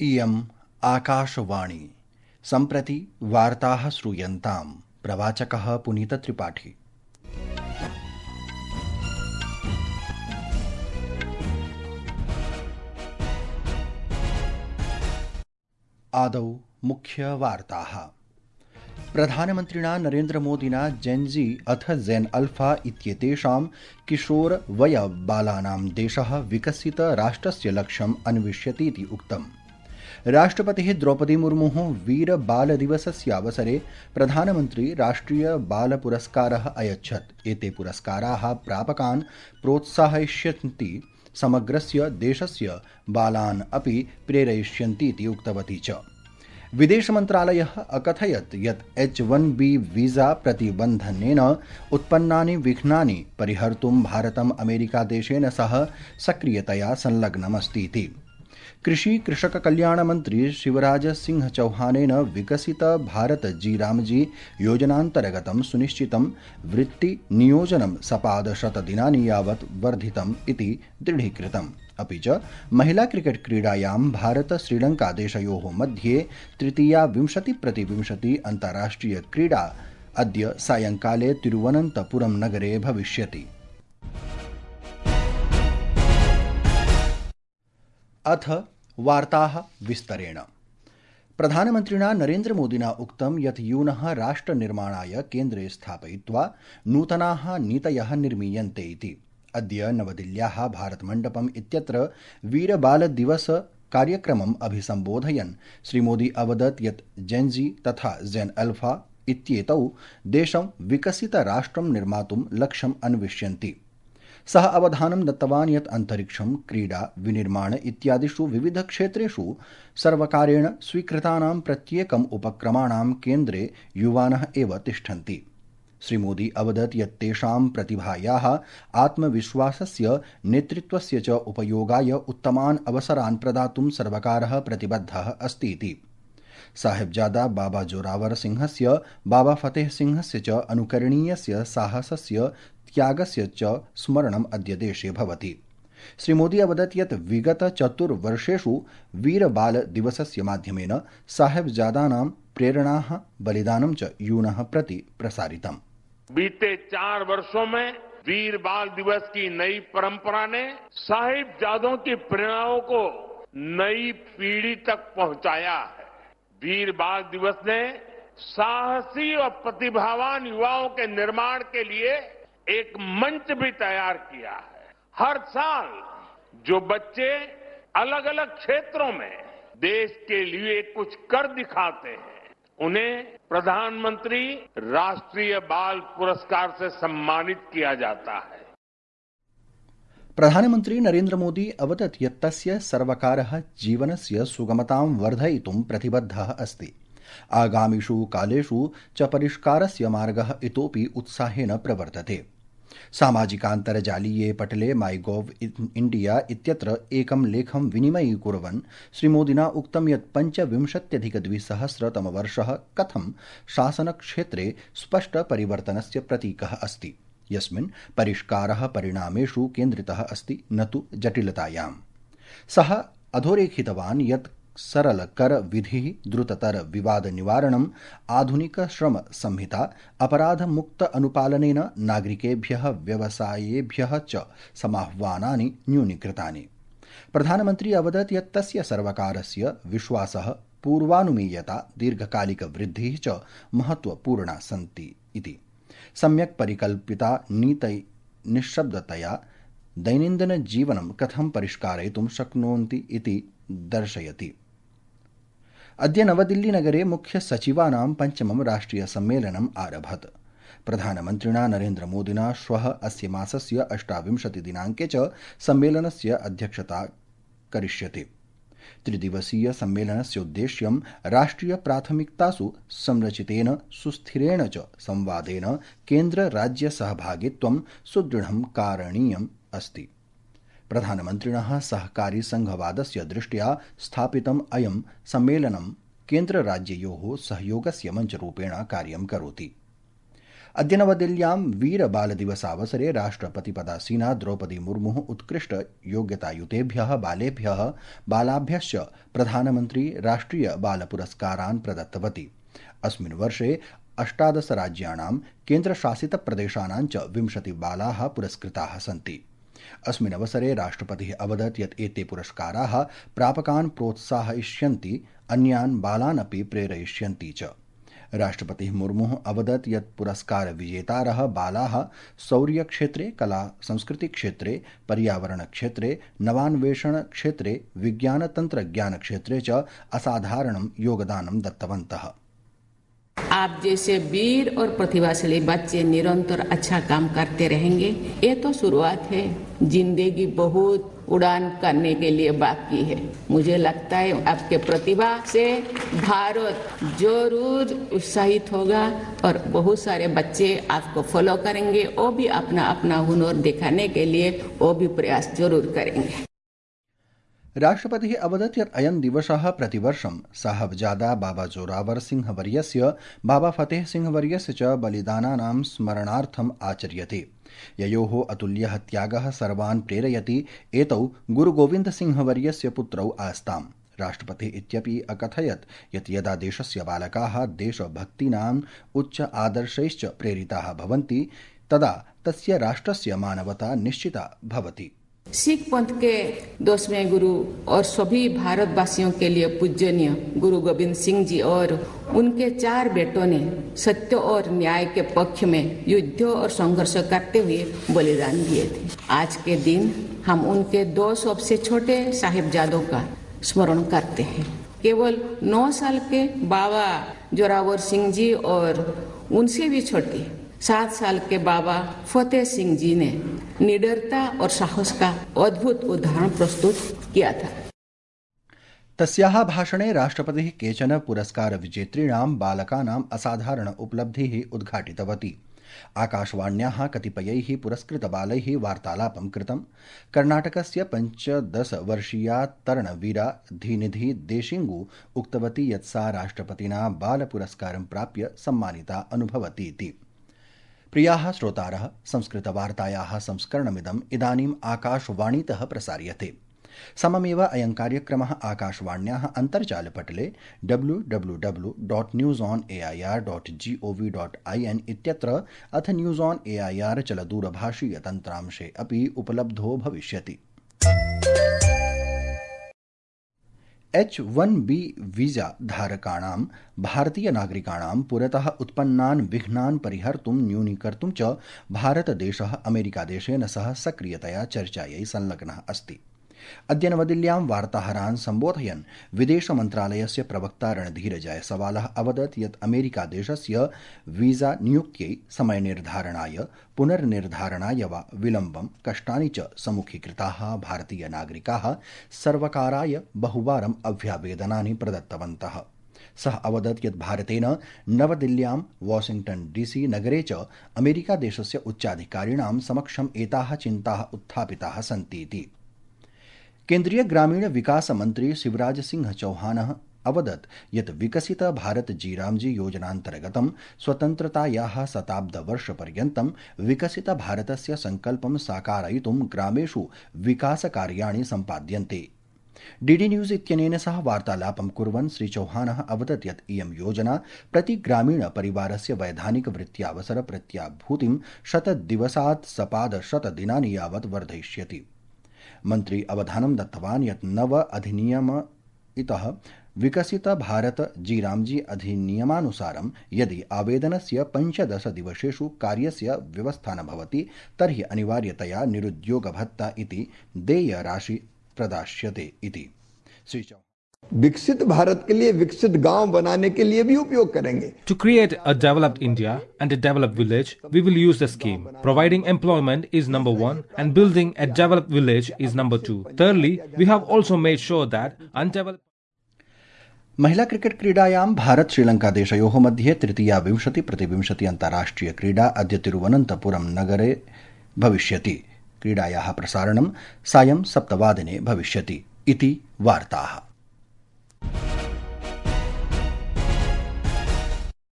इयम् आकाशवाणी। सम्प्रति वार्ताः श्रूयन्ताम्। प्रवाचकः पुनीतत्रिपाठी। आदौ मुख्यवार्ताः। प्रधानमन्त्रिणा नरेन्द्रमोदिना जेन्जी अथ जेन् अल्फा इत्येतेषां किशोरवयबालानां देशः विकसितराष्ट्रस्य लक्ष्यम् अन्विष्यतीति उक्तम्। राष्ट्रपतिः द्रौपदी मुर्मुः वीरबालदिवसस्यावसरे प्रधानमन्त्री राष्ट्रियबालपुरस्कारः अयच्छत्। एते पुरस्काराः प्रापकान् प्रोत्साहयिष्यन्ति, समग्रस्य देशस्य बालान् अपि प्रेरयिष्यन्तीति उक्तवती च। विदेशमन्त्रालयः अकथयत् यत् H-1B वीजा प्रतिबन्धनेन उत्पन्नानि विघ्नानि परिहर्तुं भारतम् अमेरिकादेशेन सह सक्रियतया संलग्नमस्तीति। कृषि-कृषककल्याणमन्त्री शिवराज सिंह चौहानेन विकसित भारत जी रामजी योजनान्तर्गतं सुनिश्चितं वृत्तिनियोजनं सपादशतदिनानि यावत् वर्धितम् इति दृढीकृतम्। अपि च महिला क्रिकेट क्रीडायां भारत श्रीलंका देशयोः मध्ये तृतीया 20-20 अन्ताराष्ट्रिय क्रीडा अद्य सायंकाले तिरुवनन्तपुरं नगरे भविष्यति। अथ वार्ताः विस्तरेण। प्रधानमन्त्रिणा नरेन्द्रमोदिना उक्तं यत् यूनः राष्ट्रनिर्माणाय केन्द्रे स्थापयित्वा नूतनाः नीतयः निर्मीयन्ते इति। अद्य नवदिल्ल्याः भारतमण्डपम् इत्यत्र वीरबालदिवस कार्यक्रमम् अभिसम्बोधयन् श्रीमोदी अवदत् यत् जेन्जी तथा जेन् अल्फा इत्येतौ देशं विकसितराष्ट्रं निर्मातुं लक्ष्यम् अन्विष्यन्ति। सः अवधानं दत्तवान् यत् अन्तरिक्षं, क्रीडा, विनिर्माण इत्यादिषु विविधक्षेत्रेषु सर्वकारेण स्वीकृतानां प्रत्येकम् उपक्रमाणां केन्द्रे युवानः एव तिष्ठन्ति। श्रीमोदी अवदत् यत् तेषां प्रतिभायाः, आत्मविश्वासस्य, नेतृत्वस्य च उपयोगाय उत्तमान् अवसरान् प्रदातुं सर्वकारः प्रतिबद्धः अस्ति इति। साहिबजादा बाबा जोरावर सिंहस्य, बाबा फतेह सिंहस्य च अनुकरणीयस्य साहसस्य, त्यागस्य च स्मरणम् अद्य देशे भवति। श्रीमोदी अवदत् यत् विगत 4 वर्षेषु वीरबालदिवसस्य माध्यमेन साहिबजादानां प्रेरणाः, बलिदानं च यूनः प्रति प्रसारितम्। बीते 4 वर्षों में वीर बाल दिवस की नई परंपरा ने साहिबजादों की प्रेरणाओं को नई पीढ़ी तक पहुंचाया है। वीर बाल दिवस ने साहसी और प्रतिभावान युवाओं के निर्माण के लिए एक मंच भी तैयार किया है। हर साल जो बच्चे अलग अलग क्षेत्रों में देश के लिए कुछ कर दिखाते हैं, उन्हें प्रधानमंत्री राष्ट्रीय बाल पुरस्कार से सम्मानित किया जाता है। प्रधानमन्त्री नरेन्द्र मोदी अवदत् यत् तस्य सर्वकारः जीवनस्य सुगमतां वर्धयितुं प्रतिबद्धः अस्ति। आगामिषु कालेषु च परिष्कारस्य मार्गः इतोपि उत्साहेन प्रवर्तते। सामाजिकान्तर्जालीये पटले माइगोव इंडिया इत्यत्र एकं लेखं विनिमयीकुर्वन् श्रीमोदिना उक्तं यत् 25-2000 कथं शासनक्षेत्रे स्पष्टपरिवर्तनस्य प्रतीकः अस्ति, यस्मिन् परिष्कारः परिणामेषु केन्द्रितः अस्ति, न तु जटिलतायाम्। सः अधोरेखितवान् यत् सरलकर विधिः, द्रुततर विवाद निवारणम्, आधुनिक श्रम संहिता, अपराधमुक्त अनुपालनेन नागरिकेभ्यः, व्यवसायेभ्यः च समाह्वानानि न्यूनीकृतानि। प्रधानमन्त्री अवदत् यत् तस्य सर्वकारस्य विश्वासः, पूर्वानुमेयता, दीर्घकालिकवृद्धिः च महत्वपूर्णा सन्ति इति। सम्यक् परिकल्पिता नीतयः निःशब्दतया दैनन्दिनजीवनं कथं परिष्कारयितुं शक्नुवन्ति इति दर्शयति। अद्य नवदिल्लीनगरे मुख्यसचिवानां 5मं राष्ट्रियसम्मेलनम् आरभत। प्रधानमन्त्रिणा नरेन्द्रमोदिना श्वः अस्य मासस्य 28 दिनाङ्के च सम्मेलनस्य अध्यक्षता करिष्यते। त्रिदिवसीय सम्मेलनस्य उद्देश्यं राष्ट्रियप्राथमिकतासु संरचितेन सुस्थिरेण च संवादेन केन्द्र-राज्य-सहभागित्वं सुदृढं कारणीयम् अस्ति। प्रधानमन्त्रिणः सहकारी संघवादस्य दृष्ट्या स्थापितम् अयं सम्मेलनं केन्द्रराज्ययोः सहयोगस्य मञ्चरूपेण कार्यं करोति। अद्य नवदिल्ल्यां वीर बाल दिवसावसरे राष्ट्रपतिपदासीना द्रौपदी मुर्मुः उत्कृष्ट योग्यतायुतेभ्यः बालेभ्यः बालाभ्यश्च प्रधानमन्त्री राष्ट्रिय बाल पुरस्कारान् प्रदत्तवती। अस्मिन् वर्षे 18 राज्याणां केन्द्रशासितप्रदेशानां च 20 बालाः पुरस्कृताः सन्ति। अस्मिन् अवसरे राष्ट्रपतिः अवदत् यत् एते पुरस्काराः प्रापकान् प्रोत्साहयिष्यन्ति, अन्यान् बालान् अपि प्रेरयिष्यन्ति च। राष्ट्रपतिः मुर्मुः अवदत् यत् पुरस्कारविजेतारः बालाः शौर्यक्षेत्रे, कला संस्कृतिक्षेत्रे, पर्यावरणक्षेत्रे, नवान्वेषणक्षेत्रे, विज्ञानतन्त्रज्ञानक्षेत्रे च असाधारणं योगदानं दत्तवन्तः। आप जैसे वीर और प्रतिभाशाली बच्चे निरंतर अच्छा काम करते रहेंगे। ये तो शुरुआत है, जिंदगी बहुत उड़ान करने के लिए बाकी है। मुझे लगता है आपके प्रतिभा से भारत जरूर उत्साहित होगा और बहुत सारे बच्चे आपको फॉलो करेंगे। वो भी अपना अपना हुनर दिखाने के लिए वो भी प्रयास जरूर करेंगे। राष्ट्रपतिः अवदत् यत् अयं दिवसः प्रतिवर्षं साहबजादा बाबा जोरावर सिंह वर्यस्य, बाबा फतेह सिंह वर्यस्य च बलिदानानां स्मरणार्थम् आचर्यते। ययोः अतुल्यः त्यागः सर्वान् प्रेरयति। एतौ गुरुगोविन्द सिंह वर्यस्य पुत्रौ आस्ताम्। राष्ट्रपतिः इत्यपि अकथयत् यत् यदा देशस्य बालकाः देशभक्तीनाम् उच्च आदर्शैश्च प्रेरिताः भवन्ति तदा तस्य राष्ट्रस्य मानवता निश्चिता भवति। सिख पंथ के 10वें गुरु और सभी भारतवासियों के लिए पूजनीय गुरु गोविंद सिंह जी और उनके 4 बेटों ने सत्य और न्याय के पक्ष में युद्ध और संघर्ष करते हुए बलिदान दिए थे। आज के दिन हम उनके 2 सबसे छोटे साहिबजादों का स्मरण करते हैं। केवल 9 साल के बाबा जोरावर सिंह जी और उनसे भी छोटे 7 साल के बाबा फतेह सिंह जी ने निडरता और साहस का अद्भुत उदाहरण प्रस्तुत किया था। तस्याः भाषणे राष्ट्रपतिः केचन पुरस्कार विजेतॄणां बालकानाम् असाधारण उपलब्धिः उद्घाटितवती। आकाशवाण्याः कतिपयैः पुरस्कृतबालैः वार्तालापं कृतम्। कर्णाटकस्य 15-वर्षीया तरणवीरा धीनिधि देशिंगु उक्तवती यत् सा राष्ट्रपतिना बालपुरस्कारं प्राप्य सम्मानिता अनुभवतीति। प्रियाः श्रोतारः, संस्कृतवार्तायाः संस्करणमिदम् इदानीम् आकाशवाणीतः प्रसार्यते। सममेव अयं कार्यक्रमः आकाशवाण्याः अन्तर्जालपटले www.newsonair.gov.in इत्यत्र अथ न्यूज़ ऑन एआईआर चलदूरभाषीयतन्त्रांशे अपि उपलब्धो भविष्यति। H-1B वीजा धारकाणां भारतीय नागरिकाणां पुरतः उत्पन्नान् विघ्नान् परिहर्तुं न्यूनीकर्तुं च भारतदेशः अमेरिकादेशेन सह सक्रियतया चर्चायै संलग्नः अस्ति। अद्य नवदिल्ल्यां वार्ताहरान् सम्बोधयन् विदेशमन्त्रालयस्य प्रवक्ता रणधीर जयसवालः अवदत् यत् अमेरिकादेशस्य वीजा नियुक्त्यै समयनिर्धारणाय, पुनर्निर्धारणाय वा विलम्बं कष्टानि च सम्मुखीकृताः भारतीयनागरिकाः सर्वकाराय बहुवारम् अभ्यावेदनानि प्रदत्तवन्तः। सः अवदत् यत् भारतेन नवदिल्ल्यां, वाशिंग्टन डीसी नगरे च अमेरिकादेशस्य उच्चाधिकारिणां समक्षम् एताः चिन्ताः उत्थापिताः सन्तीति। केन्द्रीय ग्रामीण विकास मंत्री शिवराज सिंह चौहानः अवदत् यत् विकसित भारत जीरामजी योजनान्तर्गतं स्वतन्त्रतायाः शताब्दवर्षपर्यन्तं विकसित भारतस्य संकल्पं साकारयितुं ग्रामेषु विकासकार्याणि सम्पाद्यन्ते। डीडी न्यूज इत्यनेन सह वार्तालापं कुर्वन् श्री चौहानः अवदत् यत् इयं योजना प्रति ग्रामीण परिवारस्य वैधानिक वृत्त्यावसर प्रत्याभूतिं 100 दिवसात् सपाद 100 दिनानि यावत् वर्धयिष्यति। मंत्री अवधानं दत्तवान् यत् नव अधिनियम इतः विकसित भारत जीरामजी अधिनियमानुसारं यदि आवेदनस्य 15 दिवसेषु कार्यस्य व्यवस्था न भवति तर्हि अनिवार्यतया निरुद्योगभत्ता इति देयराशि प्रदास्यते इति। श्री विकसित भारत के लिए विकसित गांव बनाने के लिए भी उपयोग करेंगे। To create a developed India and a developed village, we will use the scheme. Providing employment is number 1 and building a developed village is number 2. Thirdly, we have also made sure that undeveloped महिला cricket क्रीडायां भारत श्रीलंका देशयोः मध्ये तृतीया 20-20 अन्ताराष्ट्रिय क्रीडा अद्य तिरुवनन्तपुरं नगरे भविष्यति। क्रीडायाः प्रसारणं सायं 7 वादने भविष्यति इति वार्ताः।